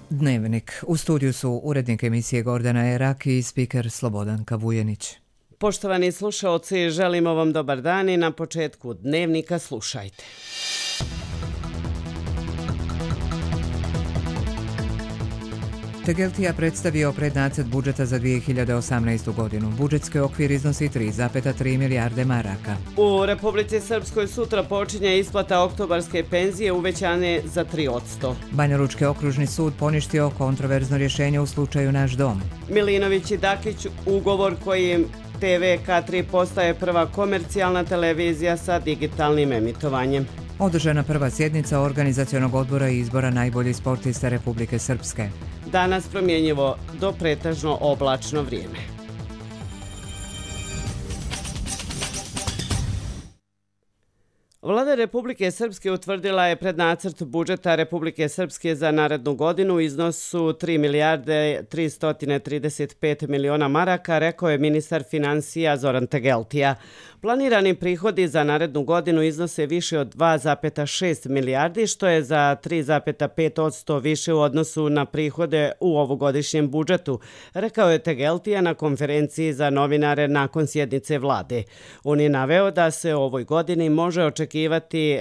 Dnevnik. U studiju su urednik emisije Gordana Erak i spiker Slobodanka Vujenić. Poštovani slušaoci, želimo vam dobar dan i na početku Dnevnika slušajte. Tegeltija predstavio prednacrt budžeta za 2018. godinu. Budžetski okvir iznosi 3,3 milijarde maraka. U Republici Srpskoj sutra počinje isplata oktobarske penzije uvećane za 3%. Banjalučki okružni sud poništio kontroverzno rješenje u slučaju Naš dom. Milinović i Dakić ugovor kojim TV K3 postaje prva komercijalna televizija sa digitalnim emitovanjem. Održana prva sjednica organizacionog odbora i izbora najboljih sportista Republike Srpske. Danas promjenjivo do pretežno oblačno vrijeme. Vlada Republike Srpske utvrdila je prednacrt budžeta Republike Srpske za narednu godinu u iznosu 3 milijarde 335 miliona maraka, rekao je ministar financija Zoran Tegeltija. Planirani prihodi za narednu godinu iznose više od 2,6 milijardi, što je za 3,5% više u odnosu na prihode u ovogodišnjem budžetu, rekao je Tegeltija na konferenciji za novinare nakon sjednice vlade. On je naveo da se u ovoj godini može očekivati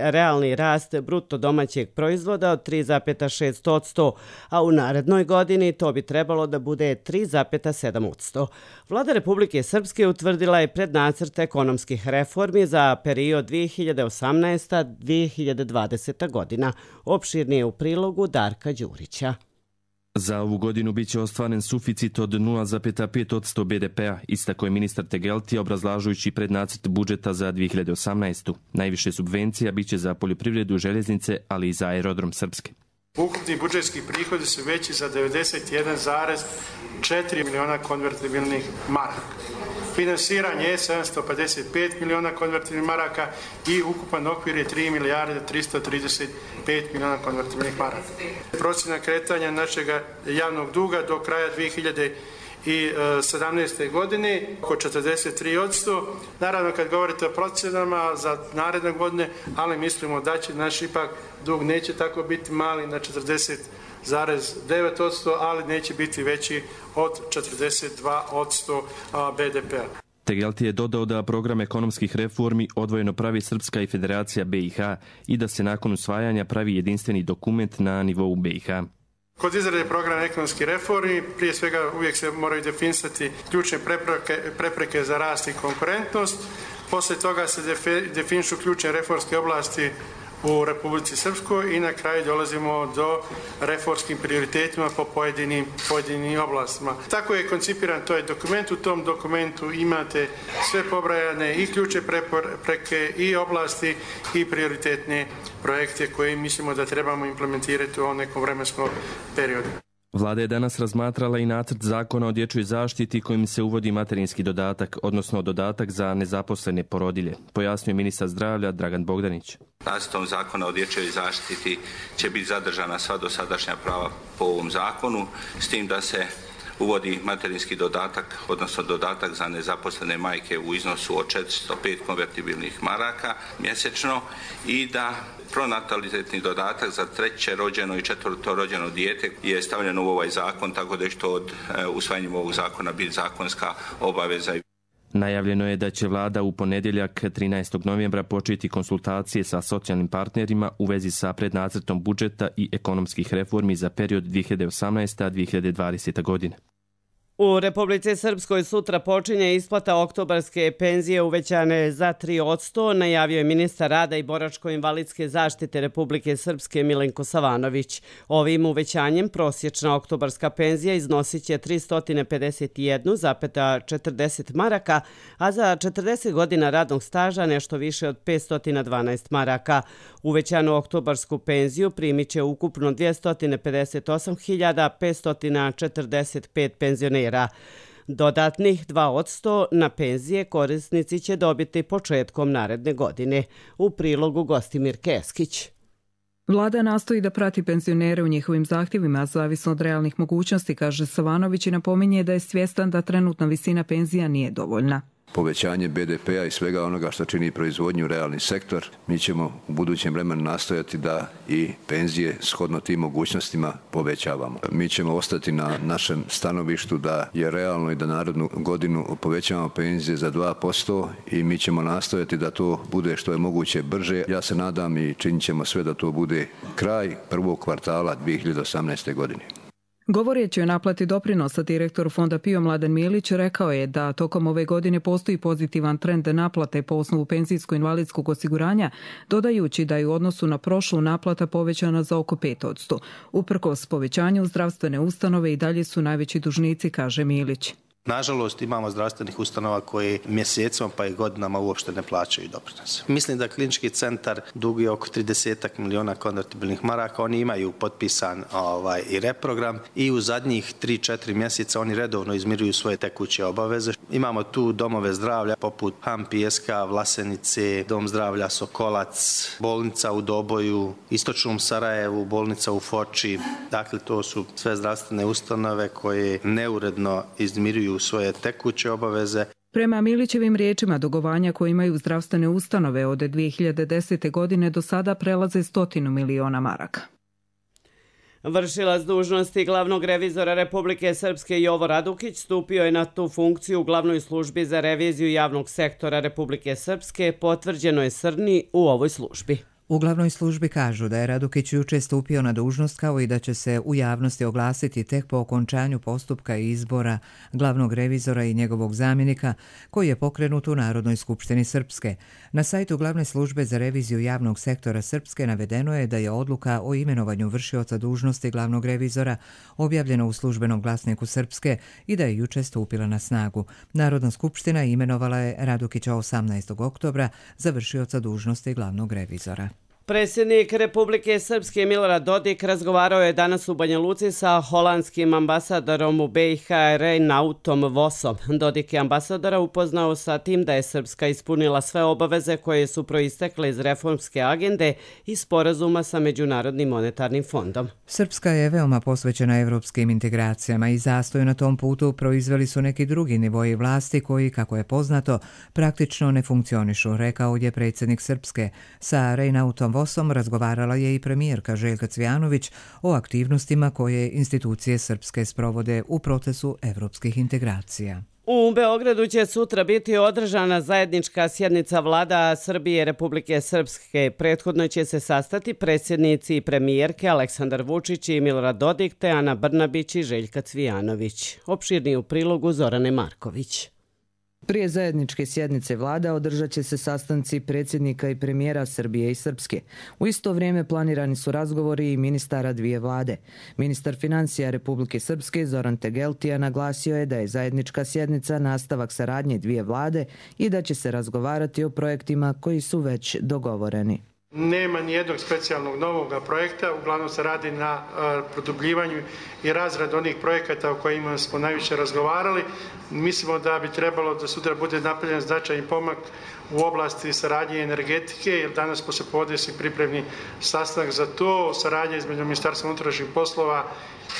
realni rast bruto domaćeg proizvoda od 3,6%, a u narednoj godini to bi trebalo da bude 3,7%. Vlada Republike Srpske utvrdila je prednacrt ekonomskih reformi za period 2018-2020. godina. Opširnije u prilogu Darka Đurića. Za ovu godinu biće ostvaren suficit od 0,5% BDP-a, istakao je ministar Tegeltija obrazlažujući prednacrt budžeta za 2018. Najviše subvencija biće za poljoprivredu, željeznice, ali i za aerodrom Srpske. Ukupni budžetski prihodi su veći za 91,4 miliona konvertibilnih maraka. Finansiranje je 755 miliona konvertibilnih maraka i ukupan okvir je 3 milijarde 335 miliona konvertibilnih maraka. Procjena kretanja našeg javnog duga do kraja 2017. godine oko 43%. Naravno, kad govorite o procjenama za naredne godine, ali mislimo da će naš ipak dug neće tako biti mali na 40,9%, ali neće biti veći od 42% BDP-a. Tegeltija je dodao da program ekonomskih reformi odvojeno pravi Srpska i Federacija BiH i da se nakon usvajanja pravi jedinstveni dokument na nivou BiH. Kod izrade programa ekonomskih reformi, prije svega uvijek se moraju definisati ključne prepreke za rast i konkurentnost. Poslije toga se definišu ključne reformske oblasti u Republici Srpskoj i na kraju dolazimo do reformskim prioritetima po pojedinim oblastima. Tako je koncipiran to je dokument. U tom dokumentu imate sve pobrajane i ključne prepreke i oblasti i prioritetne projekte koje mislimo da trebamo implementirati u ovom nekom vremenskom periodu. Vlada je danas razmatrala i nacrt zakona o dječjoj zaštiti kojim se uvodi materinski dodatak, odnosno dodatak za nezaposlene porodilje, pojasnio ministar zdravlja Dragan Bogdanić. Nacrtom zakona o dječjoj zaštiti će biti zadržana sva dosadašnja prava po ovom zakonu, s tim da se uvodi materinski dodatak, odnosno dodatak za nezaposlene majke u iznosu od 405 konvertibilnih maraka mjesečno i da pronatalitetni dodatak za treće rođeno i četvrto rođeno dijete je stavljeno u ovaj zakon, tako da je što od usvajanjem ovog zakona biti zakonska obaveza. Najavljeno je da će vlada u ponedjeljak 13. novembra početi konsultacije sa socijalnim partnerima u vezi sa prednacrtom budžeta i ekonomskih reformi za period 2018-2020. godine. U Republici Srpskoj sutra počinje isplata oktobarske penzije uvećane za 3%, najavio je ministar rada i boračko-invalidske zaštite Republike Srpske Milenko Savanović. Ovim uvećanjem prosječna oktobarska penzija iznosit će 351,40 maraka, a za 40 godina radnog staža nešto više od 512 maraka. Uvećanu oktobarsku penziju primit će ukupno 258.545 penzionera. Dodatnih 2% na penzije korisnici će dobiti početkom naredne godine. U prilogu Gostimir Keskić. Vlada nastoji da prati penzionere u njihovim zahtjevima, zavisno od realnih mogućnosti, kaže Savanović i napominje da je svjestan da trenutna visina penzija nije dovoljna. povećanje BDP-a i svega onoga što čini proizvodnju realni sektor, mi ćemo u budućem vremenu nastojati da i penzije shodno tim mogućnostima povećavamo. Mi ćemo ostati na našem stanovištu da je realno i da narednu godinu povećavamo penzije za 2% i mi ćemo nastojati da to bude što je moguće brže. Ja se nadam i činit ćemo sve da to bude kraj prvog kvartala 2018. godine. Govoreći o naplati doprinosa, direktor Fonda PIO Mladen Milić rekao je da tokom ove godine postoji pozitivan trend naplate po osnovu penzijsko-invalidskog osiguranja, dodajući da je u odnosu na prošlu naplata povećana za oko 5%. Uprkos povećanju, zdravstvene ustanove i dalje su najveći dužnici, kaže Milić. Nažalost, imamo zdravstvenih ustanova koji mjesecima pa i godinama uopšte ne plaćaju doprinose. Mislim da klinički centar duguje oko 30 miliona konvertibilnih maraka. Oni imaju potpisan i reprogram i u zadnjih 3-4 mjeseca oni redovno izmiruju svoje tekuće obaveze. Imamo tu domove zdravlja poput HAM Pijeska, Vlasenice, Dom zdravlja Sokolac, bolnica u Doboju, Istočnom Sarajevu, bolnica u Foči. Dakle, to su sve zdravstvene ustanove koje neuredno izmiruju svoje tekuće obaveze. Prema Milićevim riječima, dugovanja koje imaju zdravstvene ustanove od 2010. godine do sada prelaze 100 miliona maraka. Vršilac dužnosti glavnog revizora Republike Srpske Jovo Radukić stupio je na tu funkciju u glavnoj službi za reviziju javnog sektora Republike Srpske, potvrđeno je Srni u ovoj službi. U glavnoj službi kažu da je Radukić juče stupio na dužnost kao i da će se u javnosti oglasiti tek po okončanju postupka izbora glavnog revizora i njegovog zamjenika koji je pokrenut u Narodnoj skupštini Srpske. Na sajtu glavne službe za reviziju javnog sektora Srpske navedeno je da je odluka o imenovanju vršioca dužnosti glavnog revizora objavljena u službenom glasniku Srpske i da je juče stupila na snagu. Narodna skupština imenovala je Radukića 18. oktobra za vršioca dužnosti glavnog revizora. Predsjednik Republike Srpske Milorad Dodik razgovarao je danas u Banja Luci sa holandskim ambasadorom u BiH Reinautom Vosom. Dodik je ambasadora upoznao sa tim da je Srpska ispunila sve obaveze koje su proistekle iz reformske agende i sporazuma sa Međunarodnim monetarnim fondom. Srpska je veoma posvećena evropskim integracijama i zastoj na tom putu proizveli su neki drugi nivoji vlasti koji, kako je poznato, praktično ne funkcionišu, rekao je predsjednik Srpske. Sa Reinautom Vosom razgovarala je i premijerka Željka Cvijanović o aktivnostima koje institucije Srpske sprovode u procesu evropskih integracija. U Beogradu će sutra biti održana zajednička sjednica vlada Srbije i Republike Srpske. Prethodno će se sastati predsjednici i premijerke Aleksandar Vučić i Milorad Dodik te Ana Brnabić i Željka Cvijanović. Opširniji u prilogu Zorane Marković. Prije zajedničke sjednice vlada održat će se sastanci predsjednika i premijera Srbije i Srpske. U isto vrijeme planirani su razgovori i ministara dvije vlade. Ministar financija Republike Srpske Zoran Tegeltija naglasio je da je zajednička sjednica nastavak saradnje dvije vlade i da će se razgovarati o projektima koji su već dogovoreni. Nema nijednog specijalnog novog projekta, uglavnom se radi na produbljivanju i razradu onih projekata o kojima smo najviše razgovarali. Mislimo da bi trebalo da sutra bude napravljen značajni pomak u oblasti saradnje energetike, jer danas poslijepodne se pripremi sastanak za to, saradnja između Ministarstva unutrašnjih poslova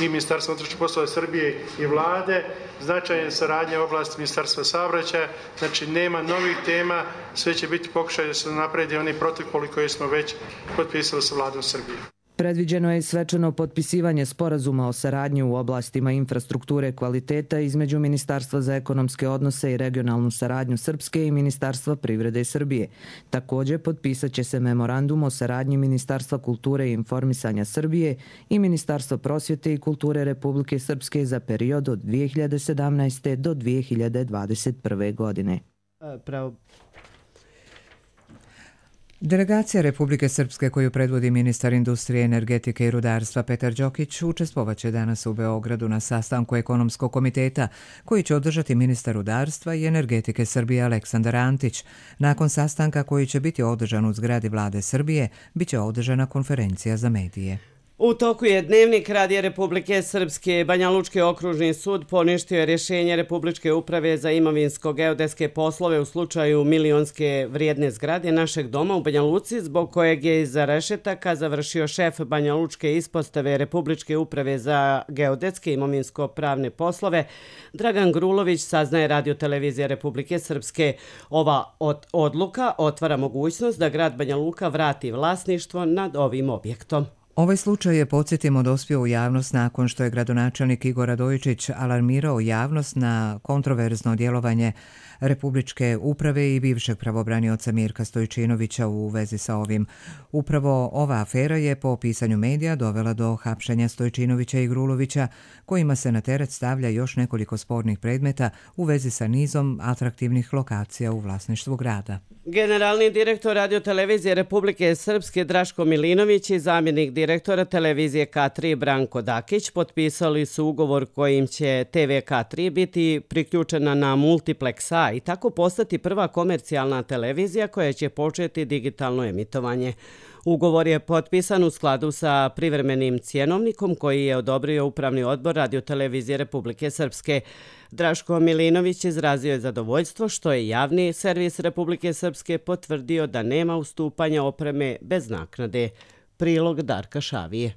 i Ministarstva unutrašnjih poslova Srbije i vlade, značajna saradnja u oblasti Ministarstva saobraćaja, znači nema novih tema, sve će biti pokušaj da se napredi oni protokoli koje smo već potpisali sa vladom Srbije. Predviđeno je svečano potpisivanje sporazuma o saradnji u oblastima infrastrukture kvaliteta između Ministarstva za ekonomske odnose i regionalnu saradnju Srpske i Ministarstva privrede Srbije. Također potpisat će se memorandum o saradnji Ministarstva kulture i informisanja Srbije i Ministarstva prosvjete i kulture Republike Srpske za period od 2017. do 2021. godine. Delegacija Republike Srpske koju predvodi ministar industrije, energetike i rudarstva Petar Đokić učestvovaće danas u Beogradu na sastanku ekonomskog komiteta koji će održati ministar rudarstva i energetike Srbije Aleksandar Antić. Nakon sastanka koji će biti održan u zgradi vlade Srbije, biće održana konferencija za medije. U toku je Dnevnik Radija Republike Srpske. Banjalučki okružni sud poništio je rješenje Republičke uprave za imovinsko-geodetske poslove u slučaju milionske vrijedne zgrade našeg doma u Banja Luci, zbog kojeg je iza rešetaka završio šef Banjalučke ispostave Republičke uprave za geodetske imovinsko-pravne poslove Dragan Grulović, saznaje Radio-televizija Republike Srpske. Ova odluka otvara mogućnost da grad Banja Luka vrati vlasništvo nad ovim objektom. Ovaj slučaj je, podsjetimo, dospio u javnost nakon što je gradonačelnik Igor Radojičić alarmirao javnost na kontroverzno djelovanje Republičke uprave i bivšeg pravobranioca Mirka Stojčinovića u vezi sa ovim. Upravo ova afera je po pisanju medija dovela do hapšenja Stojčinovića i Grulovića, kojima se na teret stavlja još nekoliko spornih predmeta u vezi sa nizom atraktivnih lokacija u vlasništvu grada. Generalni direktor Radio-televizije Republike Srpske Draško Milinović i zamjenik direktora televizije K3 Branko Dakić potpisali su ugovor kojim će TV K3 biti priključena na Multiplex A i tako postati prva komercijalna televizija koja će početi digitalno emitovanje. Ugovor je potpisan u skladu sa privremenim cjenovnikom koji je odobrio Upravni odbor Radio-televizije Republike Srpske. Draško Milinović izrazio je zadovoljstvo što je javni servis Republike Srpske potvrdio da nema ustupanja opreme bez naknade. Prilog Darka Šavije.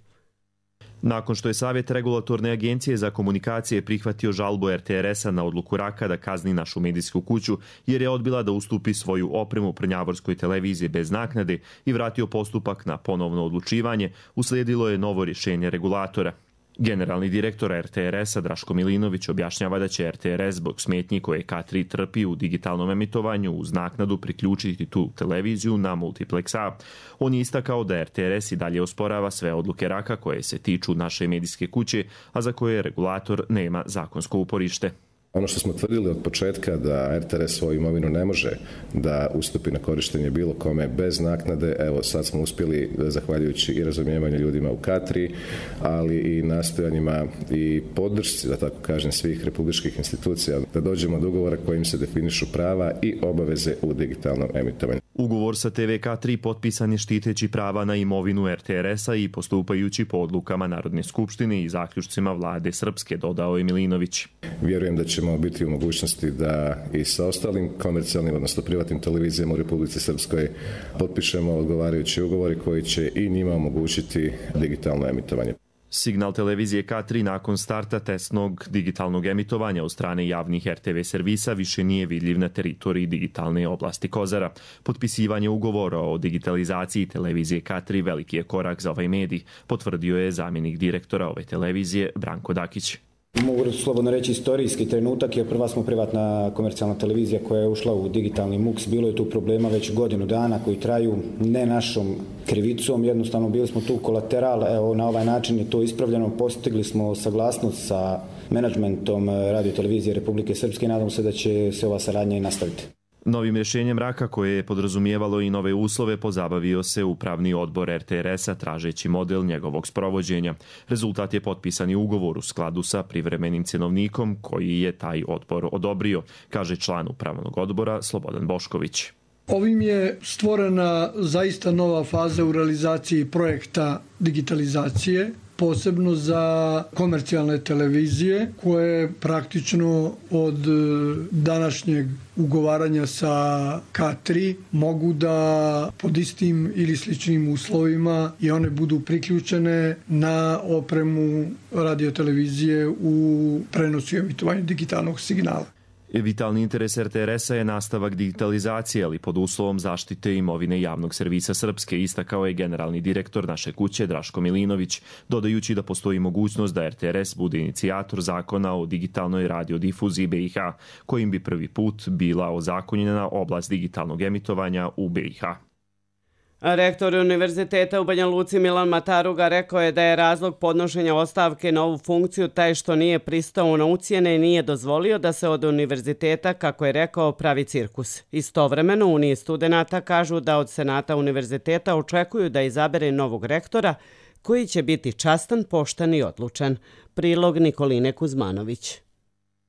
Nakon što je Savjet regulatorne agencije za komunikacije prihvatio žalbu RTRS-a na odluku RAK-a da kazni našu medijsku kuću jer je odbila da ustupi svoju opremu Prnjavorskoj televiziji bez naknade i vratio postupak na ponovno odlučivanje, uslijedilo je novo rješenje regulatora. Generalni direktor RTRS-a Draško Milinović objašnjava da će RTRS zbog smetnji koje K3 trpi u digitalnom emitovanju uz naknadu priključiti tu televiziju na Multiplex A. On je istakao da RTRS i dalje osporava sve odluke RAK-a koje se tiču naše medijske kuće, a za koje regulator nema zakonsko uporište. Ono što smo tvrdili od početka da RTRS svoju imovinu ne može da ustupi na korištenje bilo kome bez naknade, evo sad smo uspjeli, zahvaljujući i razumijevanju ljudima u K3, ali i nastojanjima i podršci, da tako kažem, svih republičkih institucija, da dođemo do ugovora kojim se definišu prava i obaveze u digitalnom emitovanju. Ugovor sa TV K3 potpisan je štiteći prava na imovinu RTRS-a i postupajući po odlukama Narodne skupštine i zaključcima vlade Srpske, dodao je Milinović. Vjerujem da ćemo biti u mogućnosti da i sa ostalim komercijalnim, odnosno privatnim televizijama u Republici Srpskoj potpišemo odgovarajući ugovori koji će i njima omogućiti digitalno emitovanje. Signal televizije K3 nakon starta testnog digitalnog emitovanja od strane javnih RTV servisa više nije vidljiv na teritoriji digitalne oblasti Kozara. Potpisivanje ugovora o digitalizaciji televizije K3 veliki je korak za ovaj medij, potvrdio je zamjenik direktora ove televizije Branko Dakić. Mogu slobodno reći istorijski trenutak, jer prva smo privatna komercijalna televizija koja je ušla u digitalni MUX. Bilo je tu problema već godinu dana koji traju ne našom krivicom, jednostavno bili smo tu kolateral. Evo, na ovaj način je to ispravljeno, postigli smo saglasnost sa menadžmentom Radio-televizije Republike Srpske i nadam se da će se ova saradnja i nastaviti. Novim rješenjem RAK-a, koje je podrazumijevalo i nove uslove, pozabavio se Upravni odbor RTRS-a tražeći model njegovog sprovođenja. Rezultat je potpisani ugovor u skladu sa privremenim cjenovnikom koji je taj odbor odobrio, kaže član Upravnog odbora Slobodan Bošković. Ovim je stvorena zaista nova faza u realizaciji projekta digitalizacije, posebno za komercijalne televizije koje praktično od današnjeg ugovaranja sa K3 mogu da pod istim ili sličnim uslovima i one budu priključene na opremu Radio-televizije u prenosu i emitovanju digitalnog signala. Vitalni interes RTRS-a je nastavak digitalizacije, ali pod uslovom zaštite imovine javnog servisa Srpske, istakao je generalni direktor naše kuće Draško Milinović, dodajući da postoji mogućnost da RTRS bude inicijator zakona o digitalnoj radiodifuziji BiH, kojim bi prvi put bila ozakonjena oblast digitalnog emitovanja u BiH. Rektor Univerziteta u Banja Luci Milan Mataruga rekao je da je razlog podnošenja ostavke na ovu funkciju taj što nije pristao na ucjene i nije dozvolio da se od univerziteta, kako je rekao, pravi cirkus. Istovremeno, Uniji studenata kažu da od Senata univerziteta očekuju da izabere novog rektora koji će biti častan, pošten i odlučan. Prilog Nikoline Kuzmanović.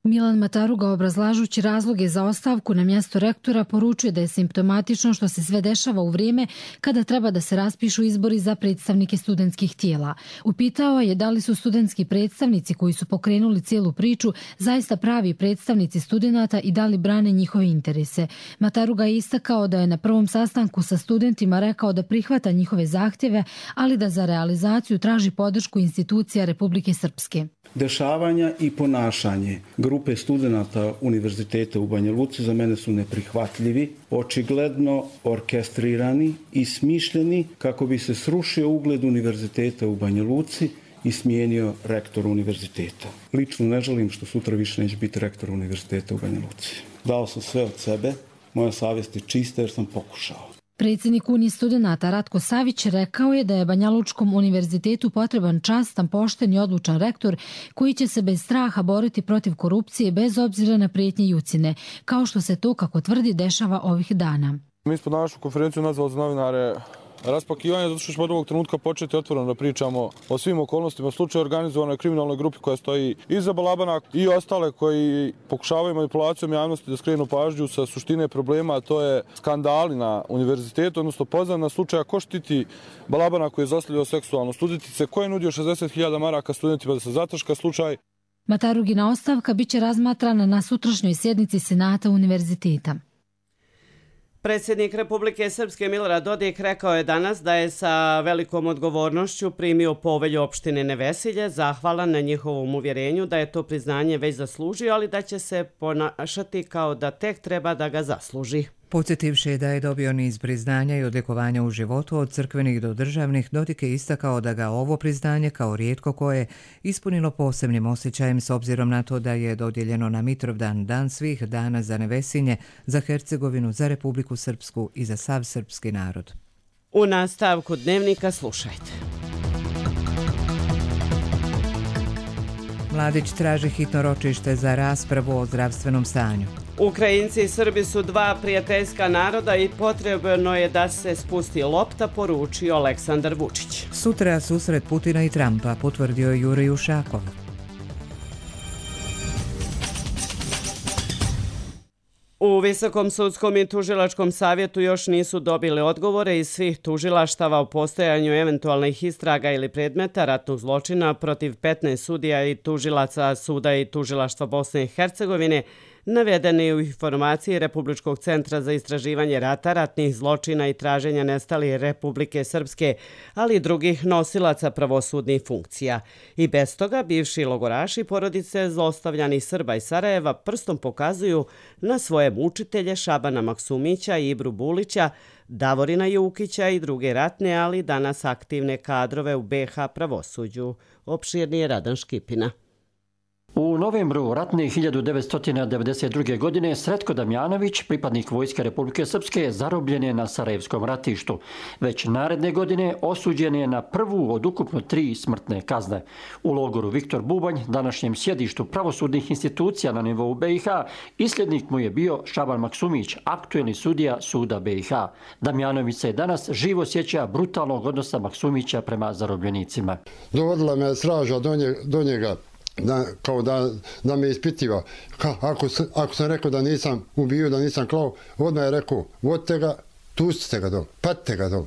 Milan Mataruga, obrazlažući razloge za ostavku na mjesto rektora, poručuje da je simptomatično što se sve dešava u vrijeme kada treba da se raspišu izbori za predstavnike studentskih tijela. Upitao je da li su studentski predstavnici koji su pokrenuli cijelu priču zaista pravi predstavnici studenata i da li brane njihove interese. Mataruga je istakao da je na prvom sastanku sa studentima rekao da prihvata njihove zahtjeve, ali da za realizaciju traži podršku institucija Republike Srpske. Dešavanja i ponašanje grupe studenata Univerziteta u Banja Luci za mene su neprihvatljivi, očigledno orkestrirani i smišljeni kako bi se srušio ugled Univerziteta u Banja Luci i smijenio rektor univerziteta. Lično ne želim što sutra više neće biti rektor Univerziteta u Banja Luci. Dao sam sve od sebe, moja savjest je čista jer sam pokušao. Predsjednik Unije studenata Ratko Savić rekao je da je Banjalučkom univerzitetu potreban častan, pošten i odlučan rektor koji će se bez straha boriti protiv korupcije bez obzira na prijetnje i ucjene, kao što se to, kako tvrdi, dešava ovih dana. Mi smo današnju konferenciju nazvali za novinare raspakivanje, zato što ćemo od ovog trenutka početi otvoreno da pričamo o svim okolnostima slučaja organizovanoj kriminalnoj grupi koja stoji iza Balabana i ostale koji pokušavaju manipulacijom javnosti da skrenu pažnju sa suštine problema, a to je skandali na univerzitetu, odnosno poznana slučaja ko štiti Balabana koji je zlostavljao seksualno studentice, ko je nudio 60.000 maraka studentima da se zataška slučaj. Matarugina ostavka biće razmatrana na sutrašnjoj sjednici Senata univerziteta. Predsjednik Republike Srpske Milorad Dodik rekao je danas da je sa velikom odgovornošću primio povelju opštine Nevesilje, zahvalan na njihovom uvjerenju da je to priznanje već zaslužio, ali da će se ponašati kao da tek treba da ga zasluži. Podsjetivši da je dobio niz priznanja i odlikovanja u životu od crkvenih do državnih, Dodik je istakao da ga ovo priznanje kao rijetko koje ispunilo posebnim osjećajem s obzirom na to da je dodijeljeno na Mitrovdan, dan svih dana za Nevesinje, za Hercegovinu, za Republiku Srpsku i za sav srpski narod. U nastavku dnevnika slušajte. Mladić traži hitno ročište za raspravu o zdravstvenom stanju. Ukrajinci i Srbi su dva prijateljska naroda i potrebno je da se spusti lopta, poručio Aleksandar Vučić. Sutra susret Putina i Trumpa, potvrdio Jurij Ušakov. U Visokom sudskom i tužilačkom savjetu još nisu dobili odgovore iz svih tužilaštava o postojanju eventualnih istraga ili predmeta ratnog zločina protiv 15 sudija i tužilaca suda i tužilaštva Bosne i Hercegovine, navedeni u informaciji Republičkog centra za istraživanje rata, ratnih zločina i traženja nestalih Republike Srpske, ali i drugih nosilaca pravosudnih funkcija. I bez toga bivši logoraši porodice zlostavljanih Srba iz Sarajeva prstom pokazuju na svoje mučitelje Šabana Maksumića i Ibru Bulića, Davorina Jukića i druge ratne, ali danas aktivne kadrove u BiH pravosuđu. Opširnije Radan Škipina. U novembru ratne 1992. godine Sretko Damjanović, pripadnik Vojske Republike Srpske, zarobljen je na Sarajevskom ratištu. Već naredne godine osuđen je na prvu od ukupno 3 smrtne kazne. U logoru Viktor Bubanj, današnjem sjedištu pravosudnih institucija na nivou BiH, isljednik mu je bio Šaban Maksumić, aktuelni sudija suda BiH. Damjanović se danas živo sjeća brutalnog odnosa Maksumića prema zarobljenicima. Dovodila me straža do njega. Kao da me ispitiva. Ako sam rekao da nisam ubio, da nisam klao, odmah je rekao, vodite ga, pustite ga dol, patite ga dol.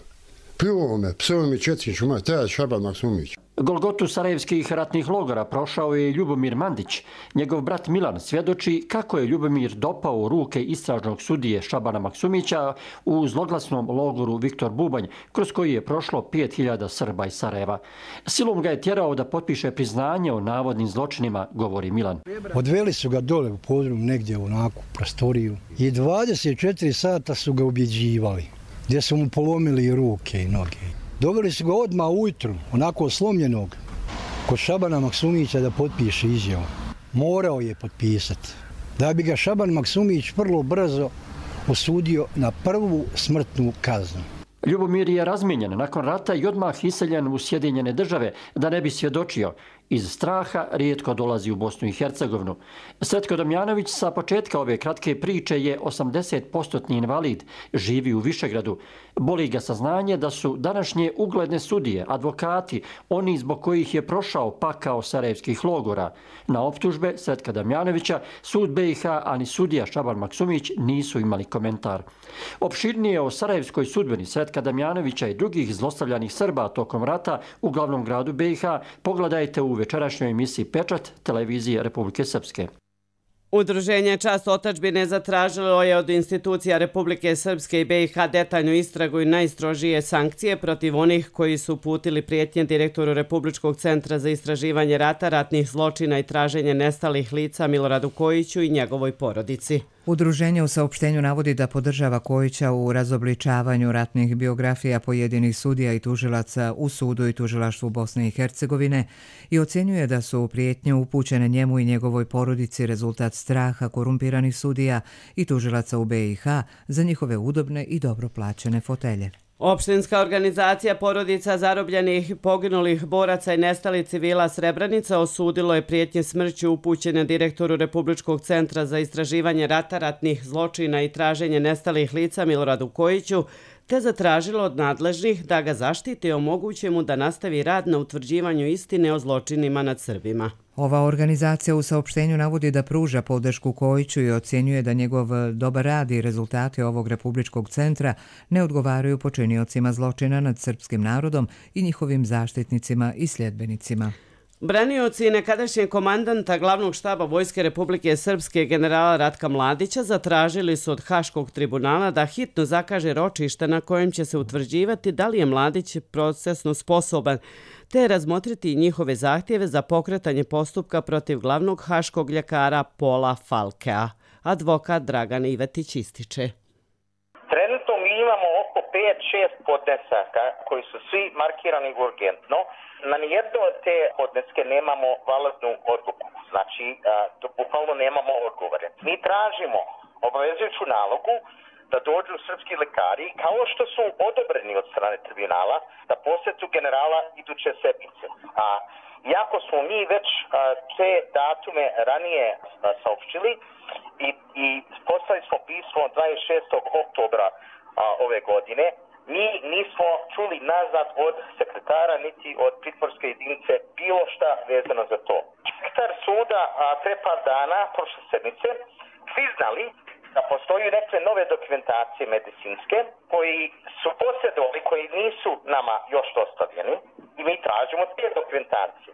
Pljuo me, psuo mi četničku mać, to je Šaban Maksumić. Golgotu sarajevskih ratnih logora prošao je Ljubomir Mandić. Njegov brat Milan svjedoči kako je Ljubomir dopao u ruke istražnog sudije Šabana Maksumića u zloglasnom logoru Viktor Bubanj, kroz koji je prošlo 5000 Srba iz Sarajeva. Silom ga je tjerao da potpiše priznanje o navodnim zločinima, govori Milan. Odveli su ga dole u podrum, negdje u onaku prostoriju i 24 sata su ga ubjeđivali, gdje su mu polomili ruke i noge. Doveli su ga odmah ujutru, onako slomljenog, kod Šabana Maksumića da potpiše izjavu. Morao je potpisati. Da bi ga Šaban Maksumić vrlo brzo osudio na prvu smrtnu kaznu. Ljubomir je razmijenjen nakon rata i odmah iseljen u Sjedinjene Države da ne bi svjedočio. Iz straha rijetko dolazi u Bosnu i Hercegovinu. Sretko Damjanović sa početka ove kratke priče je 80% invalid, živi u Višegradu. Boli ga saznanje da su današnje ugledne sudije, advokati, oni zbog kojih je prošao pakao sarajevskih logora. Na optužbe Sretka Damjanovića sud BiH, ani sudija Šaban Maksumić nisu imali komentar. Opširnije o sarajevskoj sudbeni Sretka Damjanovića i drugih zlostavljanih Srba tokom rata u glavnom gradu BiH pogledajte u večerašnjoj emisiji Pečat televizije Republike Srpske. Udruženje Čast otadžbine zatražilo je od institucija Republike Srpske i BiH detaljnu istragu i najstrožije sankcije protiv onih koji su uputili prijetnje direktoru Republičkog centra za istraživanje rata, ratnih zločina i traženje nestalih lica Miloradu Kojiću i njegovoj porodici. Udruženje u saopštenju navodi da podržava Kojića u razobličavanju ratnih biografija pojedinih sudija i tužilaca u sudu i tužilaštvu Bosne i Hercegovine i ocjenjuje da su prijetnje upućene njemu i njegovoj porodici rezultat straha korumpiranih sudija i tužilaca u BiH za njihove udobne i dobro plaćene fotelje. Opštinska organizacija porodica zarobljenih, poginulih boraca i nestalih civila Srebrenica osudilo je prijetnje smrću upućene direktoru Republičkog centra za istraživanje rata, ratnih zločina i traženje nestalih lica Miloradu Kojiću, te zatražilo od nadležnih da ga zaštite i omoguće mu da nastavi rad na utvrđivanju istine o zločinima nad Srbima. Ova organizacija u saopštenju navodi da pruža podršku Kojiću i ocjenjuje da njegov dobar rad i rezultati ovog Republičkog centra ne odgovaraju počiniocima zločina nad srpskim narodom i njihovim zaštitnicima i sljedbenicima. Branioci nekadašnjeg komandanta glavnog štaba Vojske Republike Srpske generala Ratka Mladića zatražili su od Haškog tribunala da hitno zakaže ročište na kojem će se utvrđivati da li je Mladić procesno sposoban, te razmotriti njihove zahtjeve za pokretanje postupka protiv glavnog haškog ljekara Pola Falkea. Advokat Dragan Ivetić ističe. Trenutno mi imamo oko 5-6 podnesaka koji su svi markirani urgentno. Na nijedno od te podneske nemamo validnu odluku. Znači, bukvalno nemamo odgovore. Mi tražimo obavezujuću nalogu da dođu srpski lekari, kao što su odobreni od strane tribunala, da posjetu generala iduće sedmice. Iako smo mi već te datume ranije saopštili i poslali smo pismo 26. oktobra ove godine, mi nismo čuli nazad od sekretara niti od pritvorske jedinice bilo šta vezano za to. Sekretar suda pre par dana, prošle sedmice, priznali da postoji neke nove dokumentacije medicinske koji su posjedovali, koji nisu nama još dostavljeni i mi tražimo te dokumentacije.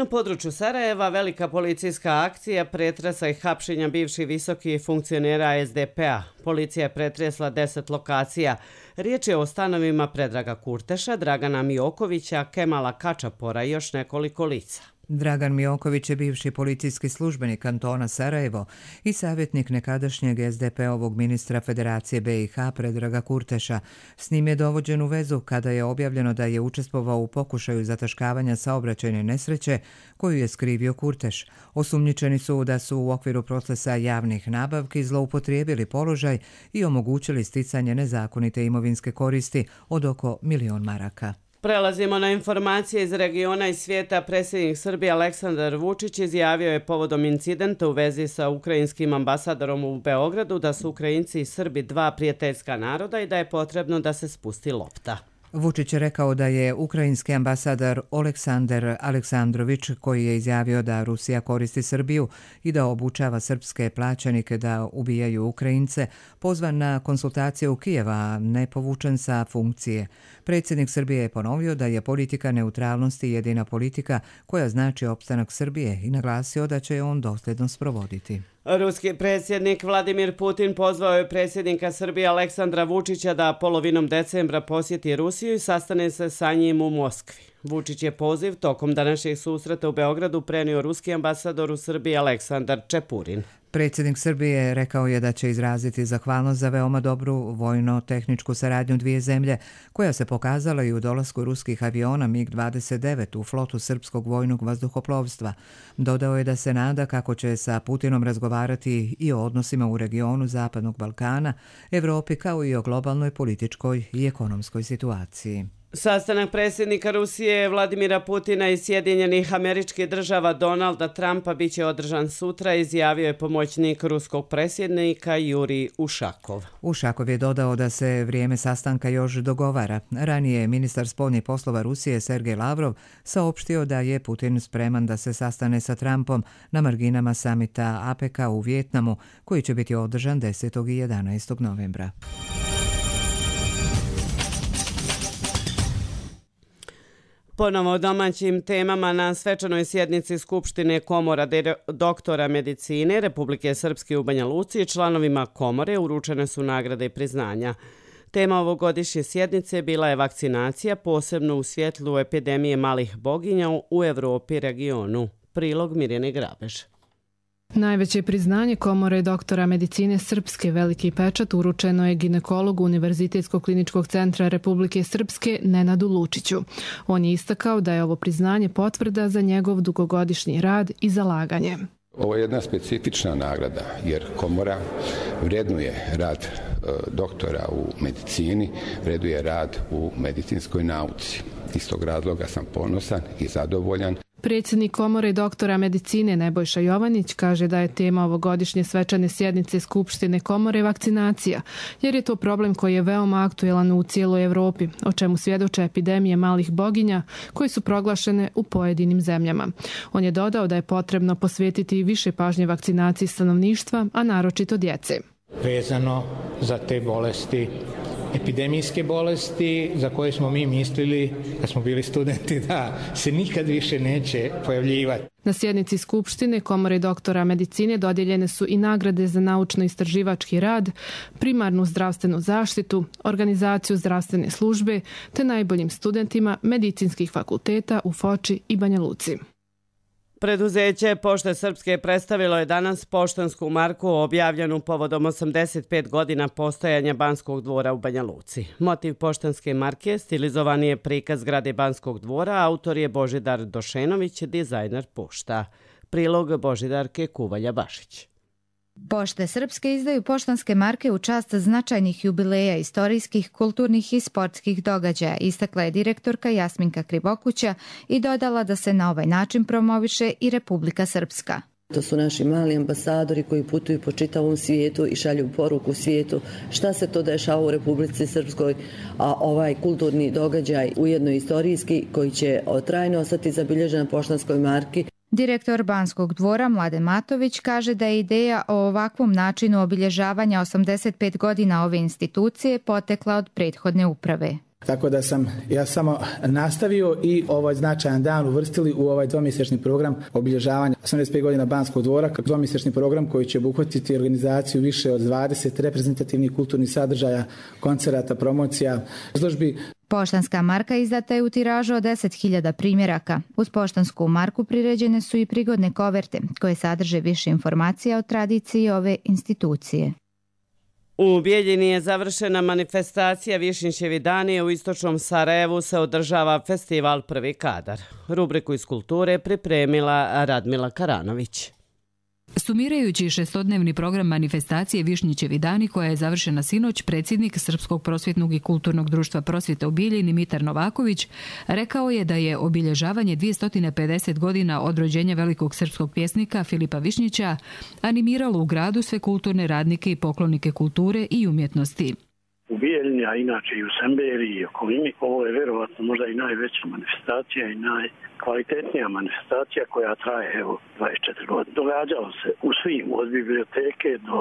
Na području Sarajeva velika policijska akcija pretresa i hapšenja bivših visokih funkcionera SDP-a. Policija je pretresla 10 lokacija. Riječ je o stanovima Predraga Kurteša, Dragana Miokovića, Kemala Kačapora i još nekoliko lica. Dragan Mioković je bivši policijski službenik kantona Sarajevo i savjetnik nekadašnjeg SDP-ovog ministra Federacije BiH Predraga Kurteša. S njim je dovođen u vezu kada je objavljeno da je učestvovao u pokušaju zataškavanja saobraćajne nesreće koju je skrivio Kurteš. Osumnjičeni su da su u okviru procesa javnih nabavki zloupotrijebili položaj i omogućili sticanje nezakonite imovinske koristi od oko 1.000.000 maraka. Prelazimo na informacije iz regiona i svijeta. Predsjednik Srbije Aleksandar Vučić izjavio je povodom incidenta u vezi sa ukrajinskim ambasadorom u Beogradu da su Ukrajinci i Srbi dva prijateljska naroda i da je potrebno da se spusti lopta. Vučić je rekao da je ukrajinski ambasador Oleksandar Aleksandrović, koji je izjavio da Rusija koristi Srbiju i da obučava srpske plaćanike da ubijaju Ukrajince, pozvan na konsultacije u Kijeva, a ne povučen sa funkcije. Predsjednik Srbije je ponovio da je politika neutralnosti jedina politika koja znači opstanak Srbije i naglasio da će je on dosljedno sprovoditi. Ruski predsjednik Vladimir Putin pozvao je predsjednika Srbije Aleksandra Vučića da polovinom decembra posjeti Rusiju i sastane se sa njim u Moskvi. Vučić je poziv tokom današnjeg susreta u Beogradu prenio ruski ambasador u Srbiji Aleksandar Čepurin. Predsjednik Srbije rekao je da će izraziti zahvalnost za veoma dobru vojno-tehničku saradnju dvije zemlje, koja se pokazala i u dolasku ruskih aviona MiG-29 u flotu srpskog vojnog vazduhoplovstva. Dodao je da se nada kako će sa Putinom razgovarati i o odnosima u regionu Zapadnog Balkana, Evropi kao i o globalnoj političkoj i ekonomskoj situaciji. Sastanak predsjednika Rusije Vladimira Putina i Sjedinjenih Američkih Država Donalda Trumpa biće održan sutra, izjavio je pomoćnik ruskog predsjednika Jurij Ušakov. Ušakov je dodao da se vrijeme sastanka još dogovara. Ranije je ministar spoljnih poslova Rusije Sergej Lavrov saopštio da je Putin spreman da se sastane sa Trumpom na marginama samita APEC-a u Vijetnamu, koji će biti održan 10. i 11. novembra. Ponovo o domaćim temama na svečanoj sjednici Skupštine Komora doktora medicine Republike Srpske u Banja Luci članovima komore uručene su nagrade i priznanja. Tema ovogodišnje sjednice bila je vakcinacija, posebno u svjetlu epidemije malih boginja u Evropi i regionu. Prilog Mirjane Grabež. Najveće priznanje Komore doktora medicine Srpske Veliki pečat uručeno je ginekologu Univerzitetskog kliničkog centra Republike Srpske Nenadu Lučiću. On je istakao da je ovo priznanje potvrda za njegov dugogodišnji rad i zalaganje. Ovo je jedna specifična nagrada jer Komora vrednuje rad doktora u medicini, vreduje rad u medicinskoj nauci. Iz tog razloga sam ponosan i zadovoljan. Predsjednik Komore doktora medicine Nebojša Jovanić kaže da je tema ovogodišnje svečane sjednice Skupštine Komore vakcinacija, jer je to problem koji je veoma aktuelan u cijeloj Evropi, o čemu svjedoče epidemije malih boginja koje su proglašene u pojedinim zemljama. On je dodao da je potrebno posvetiti više pažnje vakcinaciji stanovništva, a naročito djece. Vezano za te bolesti, epidemijske bolesti za koje smo mi mislili kad smo bili studenti da se nikad više neće pojavljivati. Na sjednici Skupštine Komore doktora medicine dodijeljene su i nagrade za naučno-istraživački rad, primarnu zdravstvenu zaštitu, organizaciju zdravstvene službe te najboljim studentima medicinskih fakulteta u Foči i Banja Luci. Preduzeće Pošte Srpske predstavilo je danas poštansku marku objavljenu povodom 85 godina postojanja Banskog dvora u Banja Luci. Motiv poštanske marke stilizovan je prikaz zgrade Banskog dvora, autor je Božidar Došenović, dizajner pošta. Prilog Božidarke Kuvalja-Bašić. Pošte Srpske izdaju poštanske marke u čast značajnih jubileja, istorijskih, kulturnih i sportskih događaja, istakla je direktorka Jasminka Krivokuća i dodala da se na ovaj način promoviše i Republika Srpska. To su naši mali ambasadori koji putuju po čitavom svijetu i šalju poruku svijetu šta se to dešava u Republici Srpskoj, a ovaj kulturni događaj ujedno istorijski koji će trajno ostati zabilježen na poštanskoj marki. Direktor Banskog dvora Mladen Matović kaže da je ideja o ovakvom načinu obilježavanja 85 godina ove institucije potekla od prethodne uprave. Tako da sam ja samo nastavio i ovaj značajan dan uvrstili u ovaj dvomjesečni program obilježavanja 85 godina Banskog dvora, dvomjesečni program koji će obuhvatiti organizaciju više od 20 reprezentativnih kulturnih sadržaja, koncerata, promocija, izložbi. Poštanska marka izdata je u tiražu od 10.000 primjeraka. Uz poštansku marku priređene su i prigodne koverte koje sadrže više informacija o tradiciji ove institucije. U Bijeljini je završena manifestacija Višnjićevi dani, u istočnom Sarajevu se održava festival Prvi kadar. Rubriku iz kulture pripremila Radmila Karanović. Sumirajući šestodnevni program manifestacije Višnjićevi dani koja je završena sinoć, predsjednik Srpskog prosvjetnog i kulturnog društva prosvjete u Bijeljini Mitar Novaković rekao je da je obilježavanje 250 godina od rođenja velikog srpskog pjesnika Filipa Višnjića animiralo u gradu sve kulturne radnike i poklonike kulture i umjetnosti. U Bijeljini, a inače i u Semberiji i okolini, ovo je vjerovatno možda i najveća manifestacija i najkvalitetnija manifestacija koja traje 24 godine. Događalo se u svim, od biblioteke do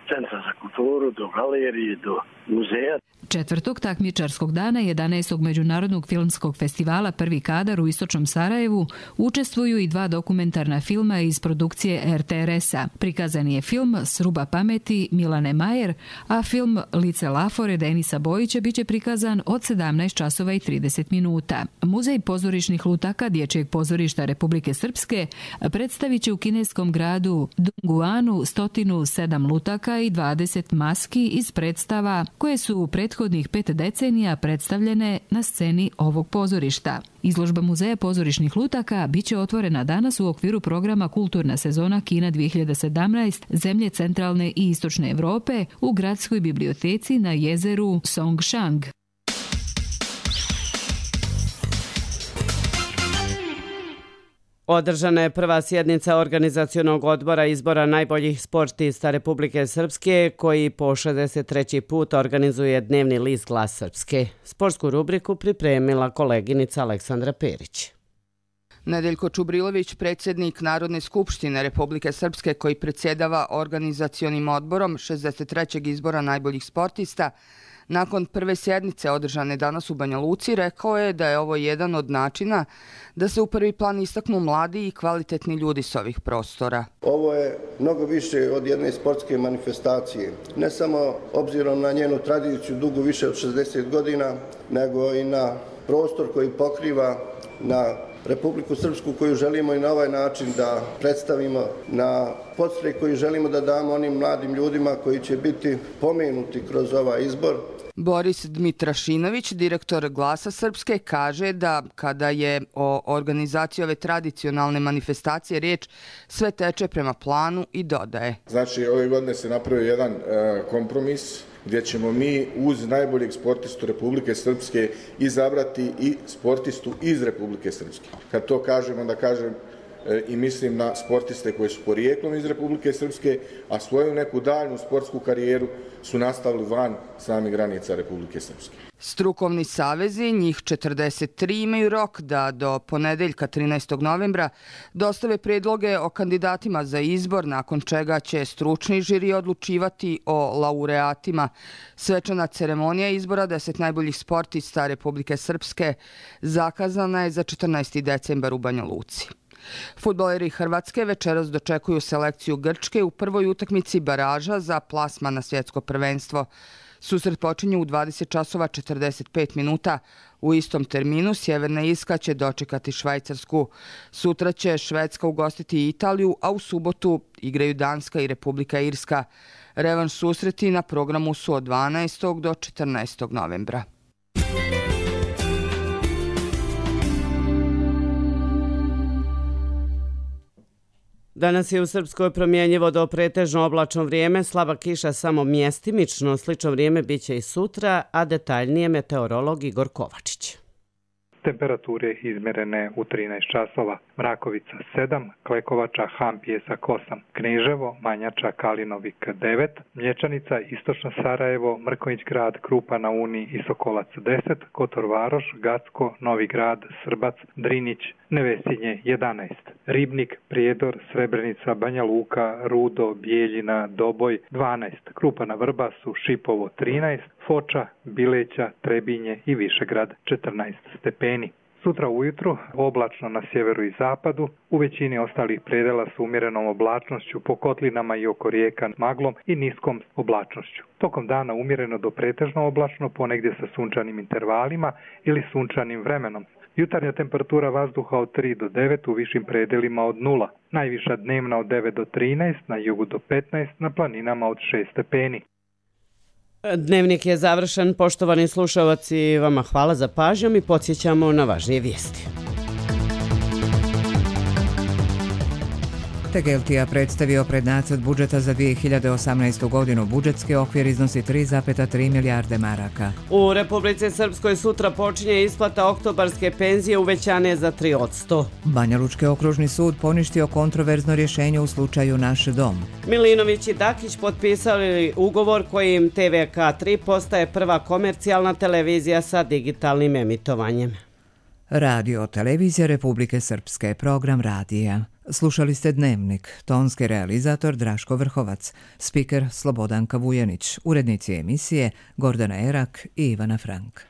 centra za kulturu, do galerije, do muzeja. Četvrtog takmičarskog dana 11. Međunarodnog filmskog festivala Prvi kadar u istočnom Sarajevu učestvuju i dva dokumentarna filma iz produkcije RTRS-a. Prikazan je film Sruba pameti Milane Majer, a film Lice Lafore Denisa Bojića biće prikazan od 17 časova i 30 minuta. Muzej pozorišnih lutaka Dječjeg pozorišta Republike Srpske predstavit će u kineskom gradu Dunguanu 107 lutaka i 20 maski iz predstava koje su u prethodnih 5 decenija predstavljene na sceni ovog pozorišta. Izložba Muzeja pozorišnih lutaka biće otvorena danas u okviru programa Kulturna sezona Kina 2017 zemlje centralne i istočne Evrope u gradskoj biblioteci na jezeru Songshan. Održana je prva sjednica organizacionog odbora izbora najboljih sportista Republike Srpske, koji po 63. put organizuje dnevni list Glas Srpske. Sportsku rubriku pripremila koleginica Aleksandra Perić. Nedeljko Čubrilović, predsjednik Narodne skupštine Republike Srpske koji predsjedava organizacionim odborom 63. izbora najboljih sportista, nakon prve sjednice održane danas u Banja Luci, rekao je da je ovo jedan od načina da se u prvi plan istaknu mladi i kvalitetni ljudi s ovih prostora. Ovo je mnogo više od jedne sportske manifestacije. Ne samo obzirom na njenu tradiciju dugu više od 60 godina, nego i na prostor koji pokriva, na Republiku Srpsku koju želimo i na ovaj način da predstavimo, na podstrek koji želimo da damo onim mladim ljudima koji će biti pomenuti kroz ovaj izbor. Boris Dmitrašinović, direktor Glasa Srpske, kaže da kada je o organizaciji ove tradicionalne manifestacije riječ, sve teče prema planu i dodaje. Znači, ove godine se napravio jedan kompromis gdje ćemo mi uz najboljeg sportistu Republike Srpske izabrati i sportistu iz Republike Srpske. Kad to kažem, onda kažem i mislim na sportiste koji su porijeklom iz Republike Srpske, a svoju neku daljnu sportsku karijeru su nastavili van samih granica Republike Srpske. Strukovni savezi, njih 43, imaju rok da do ponedeljka 13. novembra dostave predloge o kandidatima za izbor, nakon čega će stručni žiri odlučivati o laureatima. Svečana ceremonija izbora 10 najboljih sportista Republike Srpske zakazana je za 14. decembar u Banja Luci. Fudbaleri Hrvatske večeras dočekuju selekciju Grčke u prvoj utakmici baraža za plasman na svjetsko prvenstvo. Susret počinje u 20 časova 45 minuta. U istom terminu Sjeverna Irska će dočekati Švajcarsku. Sutra će Švedska ugostiti Italiju, a u subotu igraju Danska i Republika Irska. Revanš susreti na programu su od 12. do 14. novembra. Danas je u Srpskoj promjenjivo do pretežno oblačno vrijeme, slaba kiša samo mjestimično, slično vrijeme biće i sutra, a detaljnije meteorolog Igor Kovačić. Temperature izmjerene u 13 časova. Mrakovica 7, Klekovača, Han, Pjesak 8, Kneževo, Manjača, Kalinovik 9, Mlječanica, Istočno Sarajevo, Mrkonjić grad, Krupa na Uni i Sokolac 10, Kotor Varoš, Gacko, Novi grad, Srbac, Drinić, Nevesinje 11, Ribnik, Prijedor, Srebrenica, Banja Luka, Rudo, Bijeljina, Doboj 12, Krupa na Vrbasu, Šipovo 13, Foča, Bileća, Trebinje i Višegrad 14 stepeni. Sutra ujutru oblačno na sjeveru i zapadu, u većini ostalih predela s umjerenom oblačnošću, po kotlinama i oko rijeka maglom i niskom oblačnošću. Tokom dana umjereno do pretežno oblačno, ponegdje sa sunčanim intervalima ili sunčanim vremenom. Jutarnja temperatura vazduha od 3 do 9, u višim predelima od 0. Najviša dnevna od 9 do 13, na jugu do 15, na planinama od 6 stepeni. Dnevnik je završen. Poštovani slušalci, vama hvala za pažnjom i podsjećamo na važnije vijesti. Tegeltija predstavio prednacrt budžeta za 2018. godinu. Budžetski okvir iznosi 3,3 milijarde maraka. U Republici Srpskoj sutra počinje isplata oktobarske penzije uvećane za 3%. Banja Lučki okružni sud poništio kontroverzno rješenje u slučaju Naš dom. Milinović i Dakić potpisali ugovor kojim TVK3 postaje prva komercijalna televizija sa digitalnim emitovanjem. Radio televizija Republike Srpske, program radija. Slušali ste Dnevnik, tonski realizator Draško Vrhovac, spiker Slobodanka Vujanić, urednici emisije Gordana Erak i Ivana Frank.